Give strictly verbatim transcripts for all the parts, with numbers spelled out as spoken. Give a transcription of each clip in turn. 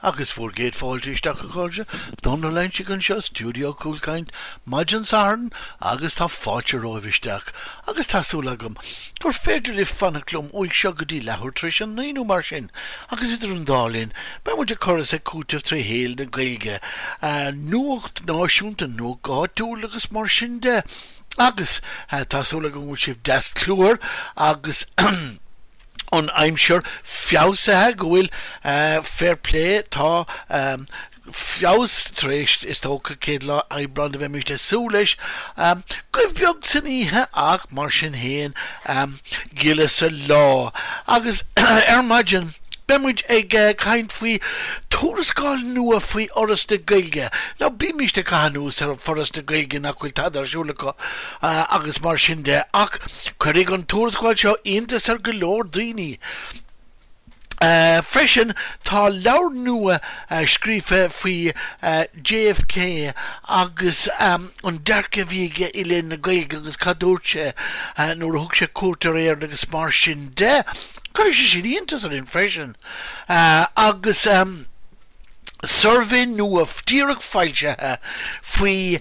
Agus bhur gcéad fáilte isteach a chairde, Dónal Loingsigh anseo, Stiúideo Cúlchaint, maidin Sathairn agus tá fáilte romhaibh isteach agus tá súil agam gur féidir libh fanacht liom uaidh seo go dtí leathuair tar éis a naoi nó mar sin agus idir an dá linn beidh muid ag cur is ag cúiteamh tré shaol na Gaeilge, nuacht náisiúnta, nuacht áitiúil agus mar sin de. Agus tá súil agam go bhfuil sibh deas cluthar agus an aimsir feabhsaithe, go bhfuil fair play, tá feabhas tar éis, is dócha, céad lá Aibreán a bheimid ag súil leis. Goimh beag san oíche ach mar sin féin gile sa lá. Agus ar maidin beidh muid ag caint faoi tuarascáil nua faoi Fhoras na Gaeilge. Now bímist ag caitheamh anuas ar Fhoras na Gaeilge nach bhfuil tada ar siúl acu agus mar sin de ach cuirfidh an tuarascáil seo iontas ar go leor daoine. Freisin tá leabhar nua scríofa faoi JFK agus an dearcadh a bhí aige i leith na Gaeilge agus cad dúirt sé nuair a thug sé cuairt ar Éirinn agus mar sin de. Cuirfidh sé sin iontas orainn freisin. Agus suirbhé nua díreach foilsithe faoi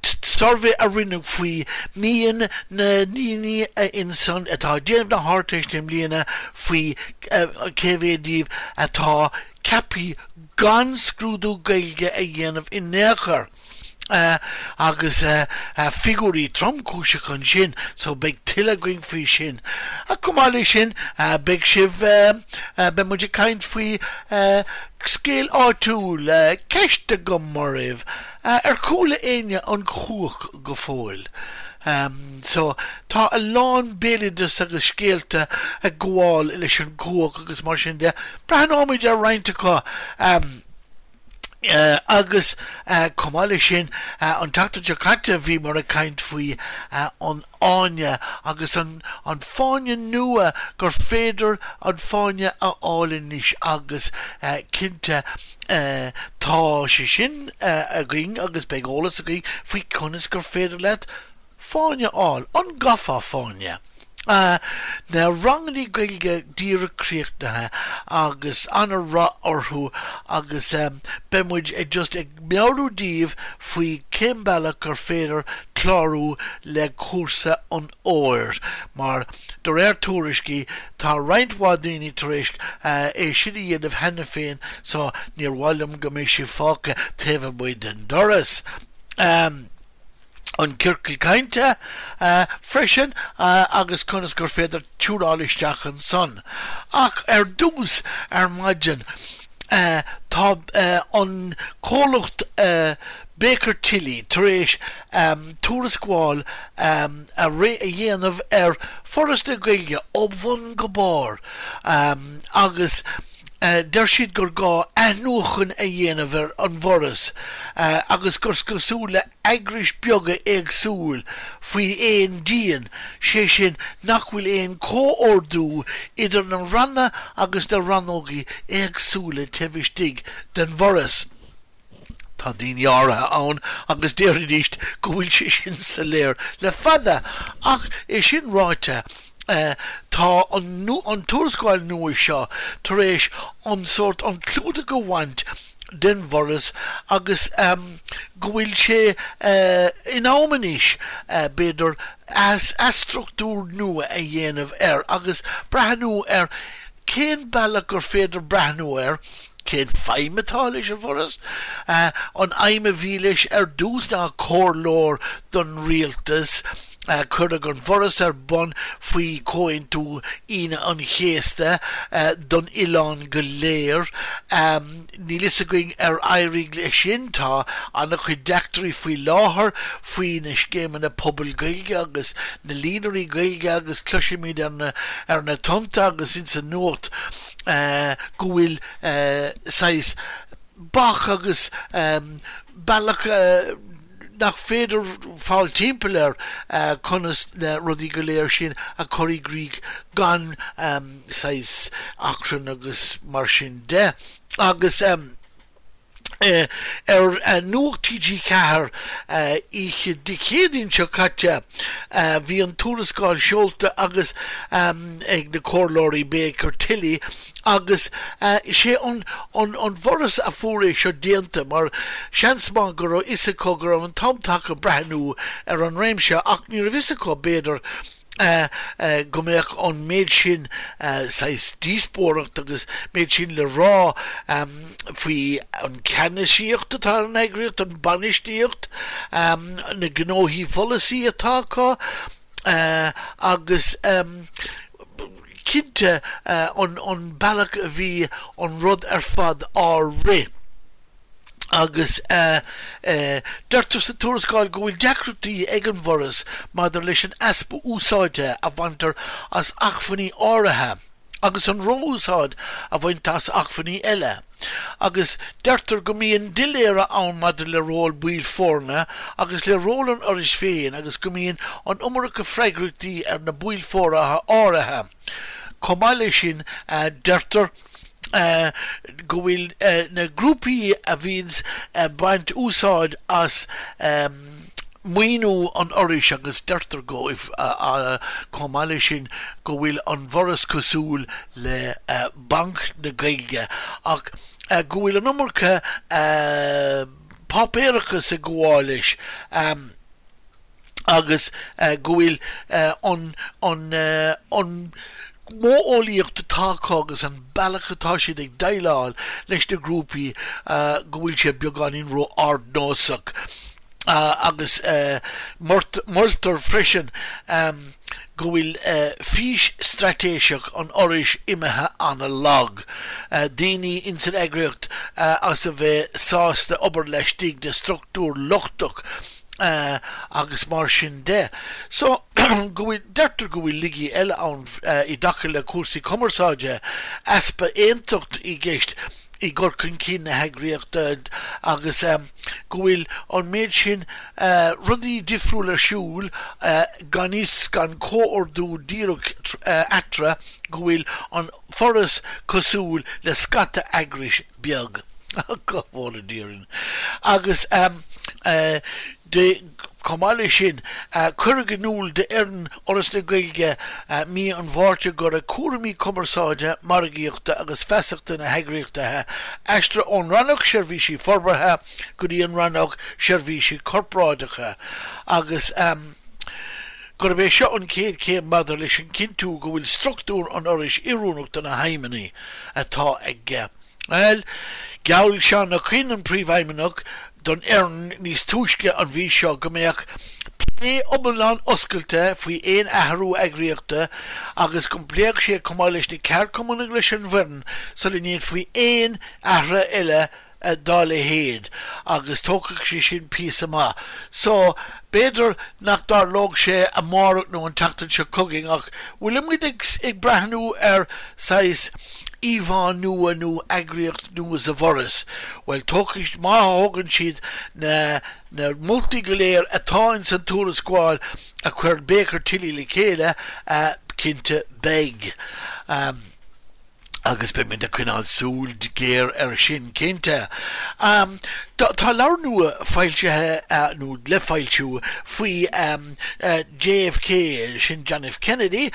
suirbhé a rinneadh faoi mian na ndaoine insan atá ag déanamh na hArdteiste i mbliana faoi cé mhéad díobh atá ceaptha gan scrúdú Gaeilge a dhéanamh in aon chor. Agus figiúirí tromchúiseacha ansin so beidh tuilleadh againn faoi sin. Ach chomh maith leis sin beidh sibh, beidh muid ag caint faoi scéal áitiúil, ceist agam oraibh, ar chuala éinne an chuach go fóill? So tá a lán béaloideas agus scéalta ag gabháil leis an gcuach agus mar sin de, breathnóimid ar roinnt acu. Agus chomh maith leis sin, an tseachtain seo caite bhíomar ag caint faoi an fháinne agus an fáinne nua gur féidir an fáinne a fháil anois agus cinnte tá sé sin againn agus beidh eolas againn faoi conas gur féidir leat fáinne a fháil, an gcaithfeá fáinne? Na rangannaí Gaeilge díreach críochnaithe agus ana-rath orthu agus beidh muid ag just ag meabhrú daoibh faoi cén bealach gur féidir clárú le cúrsa an fhómhair mar de réir tuairiscí tá roinnt mhaith daoine tar éis é sin a dhéanamh cheana féin so níor mhaith liom go mbeidh sibh fágtha taobh amuigh den doras. an Ciorcal Cainte freisin agus conas gur féidir tiúnáil isteach ansan. Ach ar dtús ar maidin tá an comhlacht Baker Tilly tar éis tuarascáil a dhéanamh ar Foras na Gaeilge ó bhun go barr agus deir siad gur gá athnuachan a dhéanamh ar an bhForas agus gur cosúil le eagrais beaga éagsúil faoi aon díon, sé sin nach bhfuil aon chomhordú idir na ranna agus na rannógaí éagsúla taobh istigh den bhForas. Tá daoine áirithe ann agus déarfaidís go bhfuil sé sin soiléir le fada, ach é sin ráite, tá an tuarascáil nua seo tar éis an sórt an clúdach a bhaint den bhForas agus go bhfuil sé in am anois, b'fhéidir, athstruchtúr nua a dhéanamh air agus breathnú ar cén bealach gur féidir breathnú air. Cén feidhm atá leis an bhForas? An aidhm a bhí leis ar dtús ná comhairleoir don rialtas. Cuireadh an Foras ar bun faoi Chomhaontú Aoine an Chéasta don oileán go léir. Níl fhios againn ar éirigh leis sin. Tá an-chuid deacrachtaí faoi láthair faoi na scéimeanna pobail Gaeilge agus na líonraí Gaeilge agus cloisimid ar na tonnta agus insa nuacht go bhfuil saghas bac agus bealach nach féidir fáil timpeall air conas na rudaí go léir sin a chur i gcrích gan saghas achrann agus mar sin de. Agus. Ar Nuacht T G Ceathair oíche Dé Céadaoin seo caite bhí an tuarascáil seolta agus ag na comhairleoirí Baker Tilly, agus sé an an bhForas a fuair é seo déanta, mar seans maith go raibh fhios acu go raibh an t-am tagtha breathnú ar an réimse, ach ní raibh fhios acu, b'fhéidir, go mbeadh an méid sin saghas díospóireacht agus méid sin le rá faoi an ceannasaíocht atá ar an eagraíocht, an bainistíocht, na gnóthaí pholasaí atá acu agus cinnte an an bealach a bhí an rud ar fad á rith. Agus deirtear sa tuarascáil go bhfuil deacrachtaí ag an bhForas maidir leis an easpa úsáide a bhaintear as acmhainní áirithe agus an ró-úsáid a bhaint as acmhainní eile, agus deirtear go mbíonn doiléire ann maidir le ról baill foirne agus le ról an Fhorais féin, agus go mbíonn an iomarca freagrachtaí ar na baill foirne áirithe. Chomh maith leis sin, deirtear go bhfuil na grúpaí a bhíonns baint úsáid as maoiniú an Fhorais, agus deirtear go chomh maith leis sin go bhfuil an bhForas cosúil le Banc na Gaeilge ach go bhfuil an iomarca páipéarachas ag gabháil leis agus go bhfuil an an an modheolaíocht atá acu agus an bealach atá siad ag déileáil leis na grúpaí, go bhfuil sé beagáinín ró-ardnósach. Agus moltar freisin go bhfuil fís straitéiseach an Fhorais imithe an-lag, daoine ins an eagraíocht as a bheith sásta obair laistigh de struchtúr lochtach agus mar sin de. So go bhfuil deirtear go bhfuil laigí eile ann i dtaca le cúrsaí cumarsáide, easpa aontacht i gceist i gcur chun cinn na heagraíochta, agus go bhfuil an méid sin rudaí difriúil ar siúl gan fhios gan comhordú díreach eatarthu, go bhfuil an Foras cosúil le scata eagrais beag. Go bhfóire Dia orainn. Agus de chomh maith leis sin, cuireadh in iúl d'fhoireann Fhoras na Gaeilge mí an Mhárta go raibh cúraimí cumarsáide, margaíochta agus feasachta na heagraíochta aistrithe ón Rannóg Seirbhísí Forbartha go dtí an Rannóg Seirbhísí Corparáideacha, agus gurb é seo an chéad chéim maidir leis an cinntiú go bhfuil struchtúr an Fhorais oiriúnach do na haidhmeanna atá aige. Well, gheall Seán Ó Coinn, an príomhfheidhmeannach, don fhoireann níos túisce an mhí seo go mbeadh plé iomlán oscailte faoi aon athrú eagraíochta agus go bpléadh sé chomh maith leis na ceardchumainn agus leis an bhfoireann sula ndéanfaí aon athrú eile dá leithéid, agus tógfaidh sé sin píosa maith. So b'fhéidir nach dtarlódh sé amárach nó an tseachtain seo chugainn, ach bhfuilimid ag ag breathnú ar saghas íomhá nua nó eagraíocht nua sa bhForas? Well, tógfaidh, má thógann siad na na moltaí go léir atá ins an tuarascáil a chuir Baker Tilly le chéile, cinnte beidh. Um, agus beidh muid ag coinneáil súil géar ar sin, cinnte. Um, tá leabhar nua foilsithe uh, nó le foilsiú faoi um, uh, J F K, sin John F. Kennedy,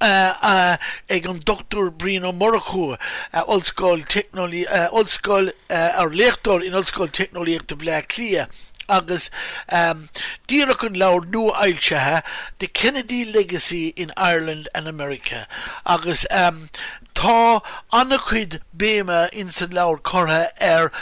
Uh, uh, ag an Dochtúir Brian Ó Murchú, uh, Ollscoil uh, Ollscoil uh, ar léachtóir in Ollscoil Teicneolaíochta Bhaile Átha Cliath, agus um, díreach an leabhar nua-fhoilsithe, The Kennedy Legacy in Ireland and America, agus um, tá an-chuid béime in san leabhar curtha ar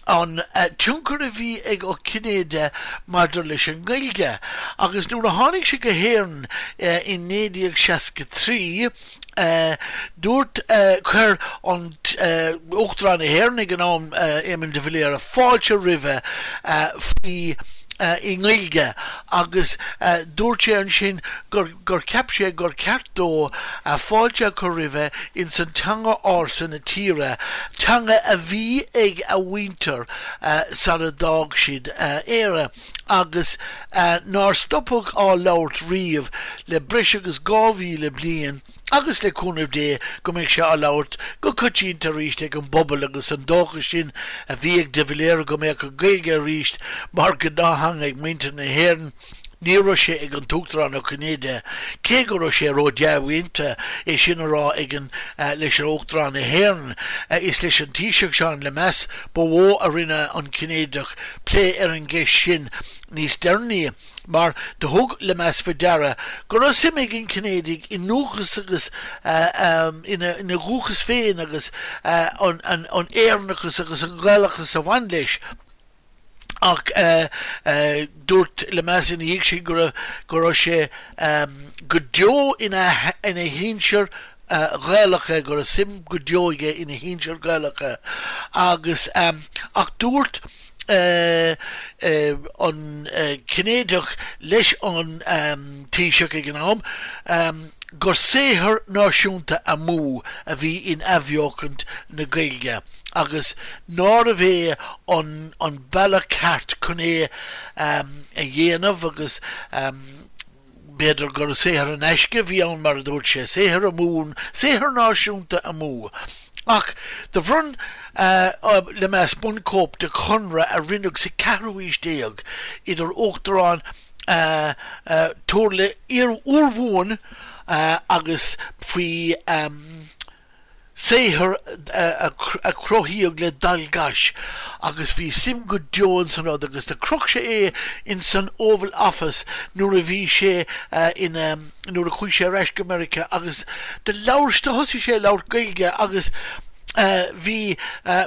an uh, tionchar a bhí ag Ó Cinnéide maidir leis an nGaeilge. Agus nuair a tháinig sé go hÉirinn uh, in naoi déag seasca trí, uh, dúirt uh, chuir an uh, Uachtarán na hÉireann ag an am, uh, Éamon de Valera, fáilte roimhe uh, faoi uh, i nGaeilge, agus uh, dúirt sé ansin gur, gur cheap sé gur ceart dó uh, fáilte chur roimhe in san teanga ársa na tíre, teanga a bhí ag a mhuintir uh, sara d'fhág siad uh, Éire agus uh, nár stopadh á labhairt riamh le breis agus dhá mhíle bliain. agus le cúnamh Dé go mbeidh sé á labhairt go coitianta arís ag an bpobal agus an dóchas sin a bhí ag de Valera go mbeadh an Ghaeilge arís mar ghnáththeanga ag muintir na hÉireann. Ní raibh sé ag an tUachtarán Ó Cinnéide, cé go raibh sé ró-dea-mhúinte é sin a rá ag an leis an Uachtarán na hÉireann. Is leis an Taoiseach Seán Lemass ba mhó a rinne an Cinnéideach plé ar an gceist sin níos deireanaí, mar do thug Lemass faoi deara go raibh suim ag an Cinnéidigh i ndúchas agus ina dhúchas féin agus an Éireannachas agus an Gaelachas a bhain leis. Ach dúirt Lemass ina dhiaidh sin go raibh go raibh sé go deo ina ina shinsir Ghaelacha, go raibh suim go deo aige ina shinsir Ghaelacha agus ach dúirt an Cinnéideach leis an Taoiseach ag an am gur saothar náisiúnta amú a bhí in athbheochaint na Gaeilge agus nárbh é an an bealach ceart chun é a dhéanamh agus b'fhéidir gur saothar in aisce a bhí ann mar a dúirt sé, saothar amú, saothar náisiúnta amú. Ach do bhronn Lemass bunchóip de chonradh a rinneadh sa ceathrú haois déag idir Uachtarán Thurlaigh Urmhumhan agus faoi saothar a cruthaíodh le Dál gCais agus bhí suim go deo ins an rud agus do chroch sé é ins an Oval Office nuair a bhí sé ina nuair a chuaigh sé ar ais go Meiriceá agus do labhair do thosaigh sé ag labhairt Gaeilge agus Bhí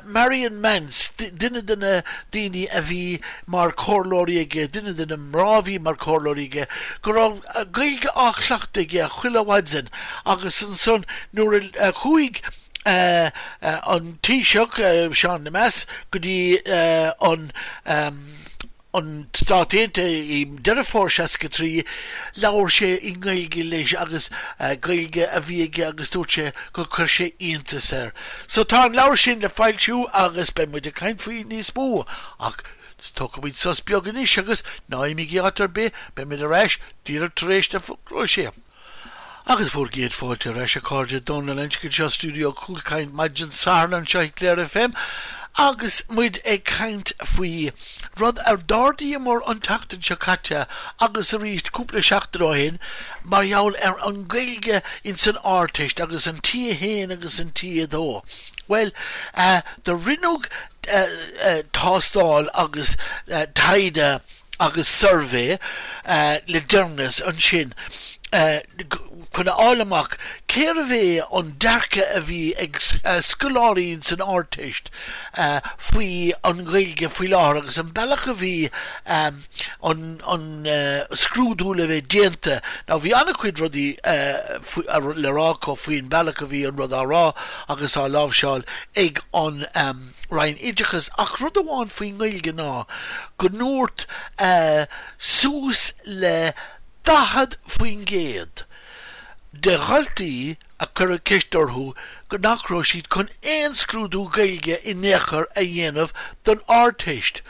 Marion Mance, duine de na daoine a bhí mar chomhairleoirí aige, duine de na mná a bhí mar chomhairleoirí aige, go raibh Gaeilge á chleachtadh aige chuile mhaidin agus ansan nuair a chuaigh an Taoiseach, Seán Lemass, go dtí an an Stát Aontaithe i Deireadh Fómhair seasca trí, labhair sé i nGaeilge leis agus Gaeilge a bhí aige agus dúirt sé gur chuir sé iontas air. So tá an leabhar sin le foilsiú agus beidh muid ag caint faoi níos mó ach tógfaidh muid sos beag anois agus ná imígí áit ar bith, beidh muid ar ais díreach tar éis na fógraí. Agus bhur gcéad fáilte ar ais a chairde, Dónal Lynch anseo i stiúideo Cúlchaint maidin Sathairn anseo i Clare FM agus muid ag caint faoi rud a d'ardaíomar an tseachtain seo caite agus arís cúpla seachtain ó shin mar gheall ar an Ghaeilge ins an Ardteist agus an T a haon agus an T a dó. Bhuel, do rinneadh tástáil agus taighde agus suirbhé le deireanas ansin chun a fháil amach cérbh é an dearcadh a bhí ag scoláirí ins an Ardteist faoi an Ghaeilge faoi láthair agus an bealach a bhí an an scrúdú le bheith déanta. Now bhí an-chuid rudaí le rá acu faoin bealach a bhí an rud á rá agus á láimhseáil ag an Roinn Oideachais ach rud amháin faoin nGaeilge ná go ndúirt suas le daichead faoin gcéad de dhaltaí a cuireadh ceist orthu go nach raibh siad chun aon scrúdú Gaeilge in aon chor a dhéanamh don Ardteist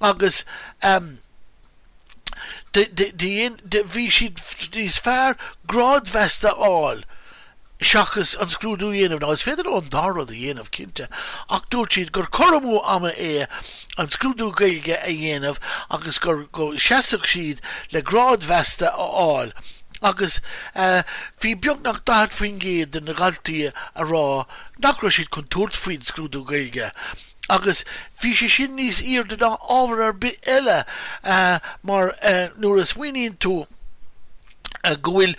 agus bhí siad níos fearr grád mheasta a fháil seachas an scrúdú a dhéanamh. Now is féidir leo an dá rud a dhéanamh, cinnte, ach dúirt siad gur cur amú ama é an scrúdú Gaeilge a dhéanamh agus gur go seasfadh siad le grád mheasta a fháil. Agus bhí beagnach daichead faoin gcéad de na dhaltaí a rá nach raibh siad chun tabhairt faoin scrúdú Gaeilge. Agus bhí sé sin níos airde ná ábhar ar bith eile mar nuair a smaoiníonn tú go bhfuil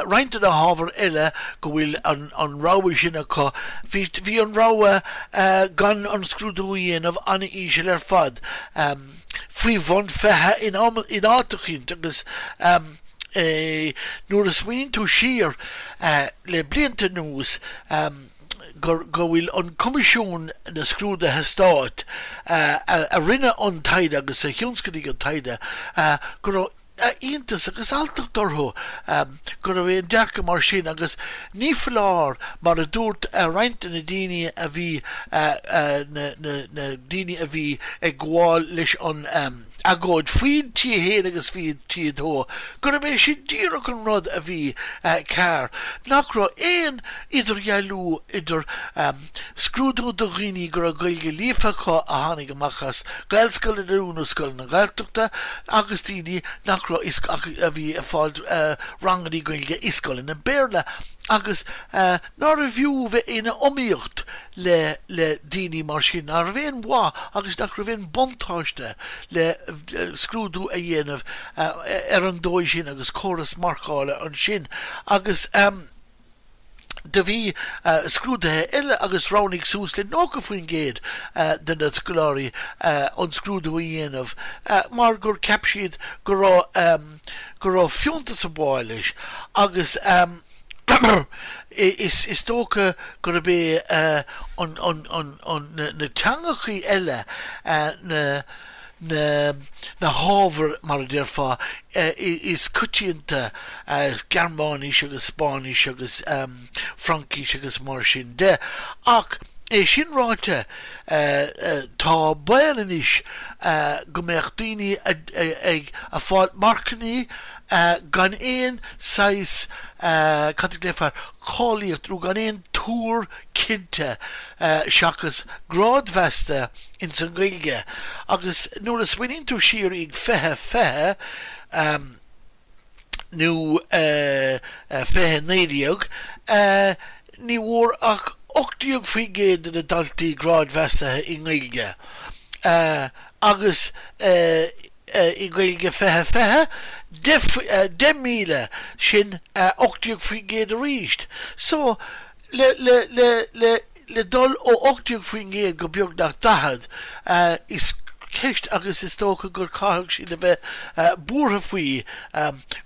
roinnt de na hábhair eile go bhfuil an an rogha sin acu, bhí bhí an rogha gan an scrúdú a dhéanamh an-íseal ar fad, faoi bhun fiche in am in áit eicínt agus nuair a smaoiníonn tú siar le blianta anuas gur go bhfuil an Coimisiún na Scrúduithe Stáit a rinne an taighde agus a thionscnaigh an taighde go raibh iontas agus alltacht orthu go raibh aon dearcadh mar sin agus ní foláir mar a dúirt roinnt de na daoine a bhí na daoine a bhí ag gabháil leis an agóid faoin T a haon agus faoin T a dó, gurb é sin díreach an rud a bhí cearr, nach raibh aon idirdhealú idir scrúdú do dhaoine go raibh Gaeilge líofa acu a tháinig amach as Gaelscoileanna nó scoileanna Gaeltachta agus daoine nach raibh a bhí ag fáil ranganna Gaeilge i scoileanna Béarla agus nárbh fhiú bheith ina iomaíocht le le daoine mar sin, nach raibh aon mhaith agus nach raibh aon buntáiste le scrúdú a dhéanamh ar an dóigh sin agus córas marcála ansin agus do bhí scrúduithe eile agus roghnaigh suas le nócha faoin gcéad de na scoláirí an scrúdú a dhéanamh mar gur cheap siad go raibh go raibh fiúntas ag gabháil leis agus is is dócha gurb é an an an an na teangachaí eile na na na hábhair mar a déarfá is coitianta Gearmáinis agus Spáinnis agus Fraincis agus mar sin de. Ach é sin ráite tá baol anois go mbeadh daoine ag a fáil marcannaí gan aon saghas cad a ghlaofar cáilíocht nó gan aon tuar cinnte seachas grád mheasta ins an Ghaeilge. Agus nuair a smaoiníonn tú siar ag fiche fiche nó fiche naoi déag, ní bhfuair ach ocht déag faoin gcéad de na daltaí grád mheasta i nGaeilge. Agus i Gaeilge fiche fiche, deich míle, sin ocht déag faoin gcéad arís. So, le le le le le dul ó ocht déag faoin gcéad go beagnach daichead, is ceist agus is dócha gur caithfidh siad a bheith buartha faoi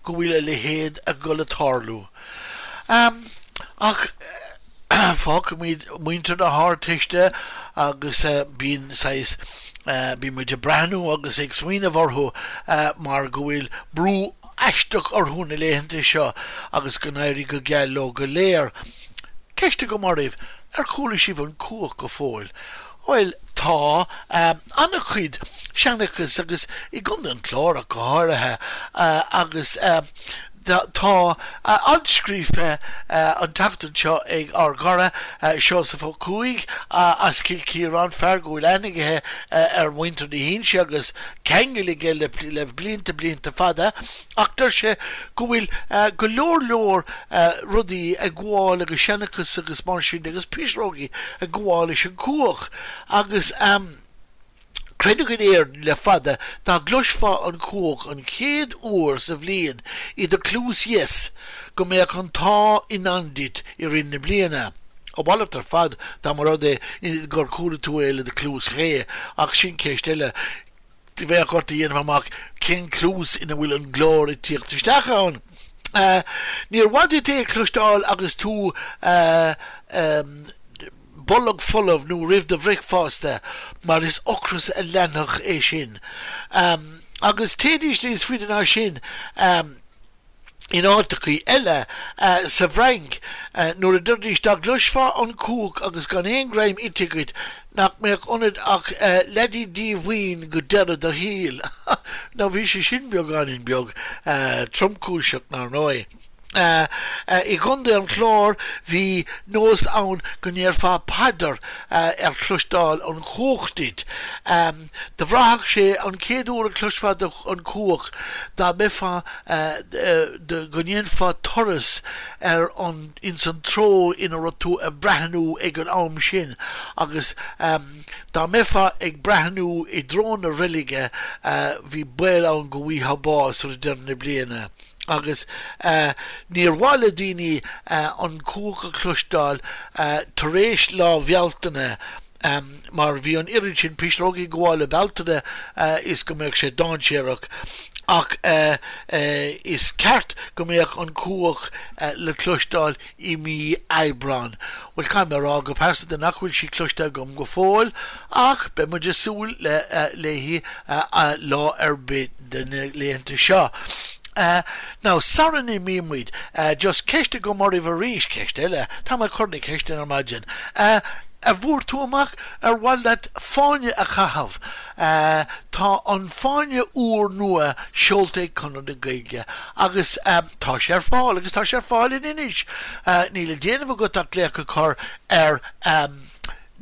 go bhfuil a leithéid ag dul a tarlú. Ach fágfaimid muintir na hArdteiste agus bíonn saghas, bíonn muid ag breathnú agus ag smaoineamh orthu mar go bhfuil brú aisteach orthu na laethanta seo agus go n-éirí go geal leo go léir. Ceist agam oraibh, ar chuala sibh an cuach go fóill? Bhuel, tá an-chuid seanchas agus i gContae an Chláir ach go háirithe agus tá alt scríofa an tseachtain seo ag ár gcara Seosamh Ó Cuaig as Cill Chiaráin, fear go bhfuil aithne aige ar mhuintir na hInse agus ceangal aige le blianta blianta fada ach deir sé go bhfuil go leor leor rudaí ag gabháil agus seanchas agus mar sin agus pisreogaí ag gabháil leis an cuach agus Creideadh in Éirinn le fada dá gcloisfeá an cuach an chéad uair sa bhliain i do chluas dheis go mbeadh an t-ádh i ndán duit i rith na bliana. A mhalairt ar fad dá mba rud é gur chuala tú é le do chluas chlé, ach sin ceist eile. Bheadh ort a dhéanamh amach cén cluas ina bhfuil an glór ag tíocht isteach ann. Níor mhaith duit é a chloisteáil agus tú bolg folamh nó roimh do bhricfeasta mar is ocras a leanfadh é sin. Agus téidís níos faide ná sin in áiteachaí eile sa bhFrainc nuair a deiridís dá gcloisfeá an cuach agus gan aon greim ite agat nach mbeadh ionat ach leidí díomhaoin go deireadh do shaoil. Now bhí sé sin beagáinín beag tromchúiseach, nár ndóigh. I gContae an Chláir bhí nós ann go ndéarfá paidir ar chloisteáil an chuach duit. Do bhraithfeadh sé an chéad uair a chloisfeá an cuach dá mbeifeá go ndéanfá turas ar an ins an treo ina raibh tú ag breathnú ag an am sin agus dá mbeifeá ag breathnú i dtreo na reilige bhí baol ann go bhfaighfeá bás roimh deireadh na bliana. Agus níor mhaith le daoine an cuach a chloisteáil tar éis Lá Bhealtaine mar bhí an oiread sin pisreogaí ag gabháil le Bealtaine is go mbeadh sé dainséarach. Ach is ceart go mbeadh an cuach le cloisteáil i mí Aibreáin. Bhuel, caithfidh mé a rá go pearsanta nach bhfuil sí cloiste agam go fóill ach beidh muid ag súil léi lá ar bith de na laethanta seo. Now, sara n-imíonn muid, just ceist agam oraibh arís, ceist eile, tá mé ag cur na ceisteanna ar maidin. a bhfuair tú amach ar mhaith leat fáinne a chaitheamh? Tá an fáinne úr nua seolta ag Conradh na Gaeilge agus tá sé ar fáil agus tá sé ar fáil in Inis. Níl le déanamh agat ach glaoch a chur ar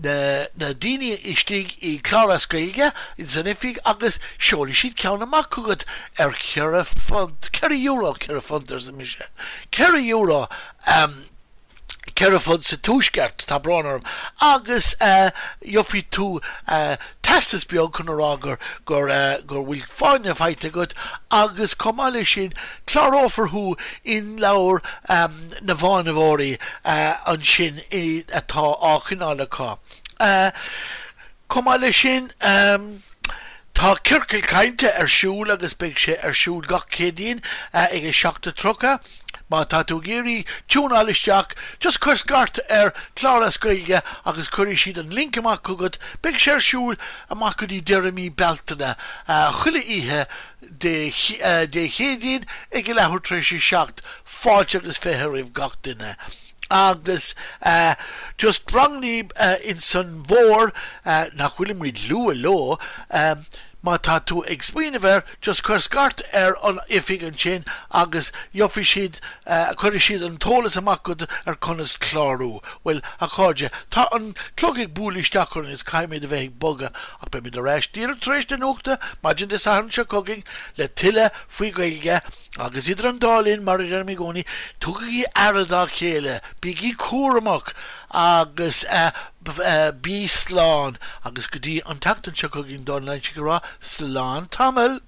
na na daoine istigh i Clár as Gaeilge san oifig agus seolfaidh siad ceann amach chugat ar cheithre phunt, ceithre euro, ceithre phunt arsa mise, ceithre euro. Ceithre phunt sa Tuaisceart, tá brón orm, agus gheobhaidh tú teastas beag chun a rá gur gur gur bhfuil fáinne faighte agat agus chomh maith leis sin clárófar thú in leabhar na bhfáinneoirí ansin atá á choinneáil acu. Chomh maith leis sin, tá ciorcal cainte ar siúl agus beidh sé ar siúl gach Céadaoin ag a seacht a tríocha. Má tá tú ag iarraidh tiúnáil isteach, just cuir scairt ar Clár as Gaeilge agus cuirfidh siad an link amach chugat. Beidh sé ar siúl amach go dtí deireadh mí Bealtaine, chuile oíche Dé Céadaoin ag a leathuair tar éis a seacht. Fáilte agus fiche roimh gach duine. Agus just rangannaí insan bhfómhar nach bhfuilimid luath leo, má tá tú ag smaoineamh air, just cuir scairt ar an oifig ansin agus gheobhaidh siad, cuirfidh siad an t-eolas amach chugat ar conas clárú. Bhuel, a chairde, tá an clog ag bualadh isteach orainn is caithfimid a bheith ag bogadh ach beimid ar ais díreach tar éis na nuachta maidin Dé Sathairn seo chugainn le tuilleadh faoi Ghaeilge agus idir an dá linn, mar a deirim i gcónaí, tugaigí aire dá chéile, bígí cúramach agus bí slán agus go dtí an tseachtain seo chugainn, Dónal Loinsigh ag rá slán tamall!